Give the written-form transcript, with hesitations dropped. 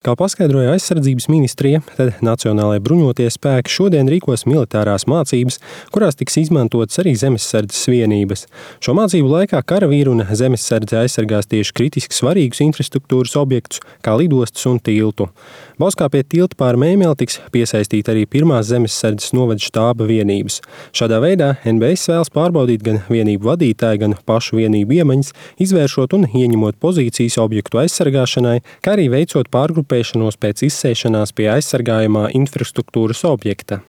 Kā paskaidroja aizsardzības ministrija, tad Nacionālajie bruņotie spēki šodien rīkos militārās mācības, kurās tiks izmantotas arī zemesardzes vienības. Šo mācību laikā karavīri un zemesardze aizsargās tieši kritiski svarīgus infrastruktūras objektus, kā lidostas un tiltu. Bauskā pie tilta pār Mēmeli tiks piesaistīta arī pirmās zemesardzes novada štāba vienības. Šādā veidā NBS vēlas pārbaudīt gan vienību vadītāju, gan pašu vienību iemaņas, izvēršot un ieņemot pozīcijas objektu aizsargāšanai, kā arī veicot pārgrupēšanos pēc izsēšanās pie aizsargājamā infrastruktūras objekta.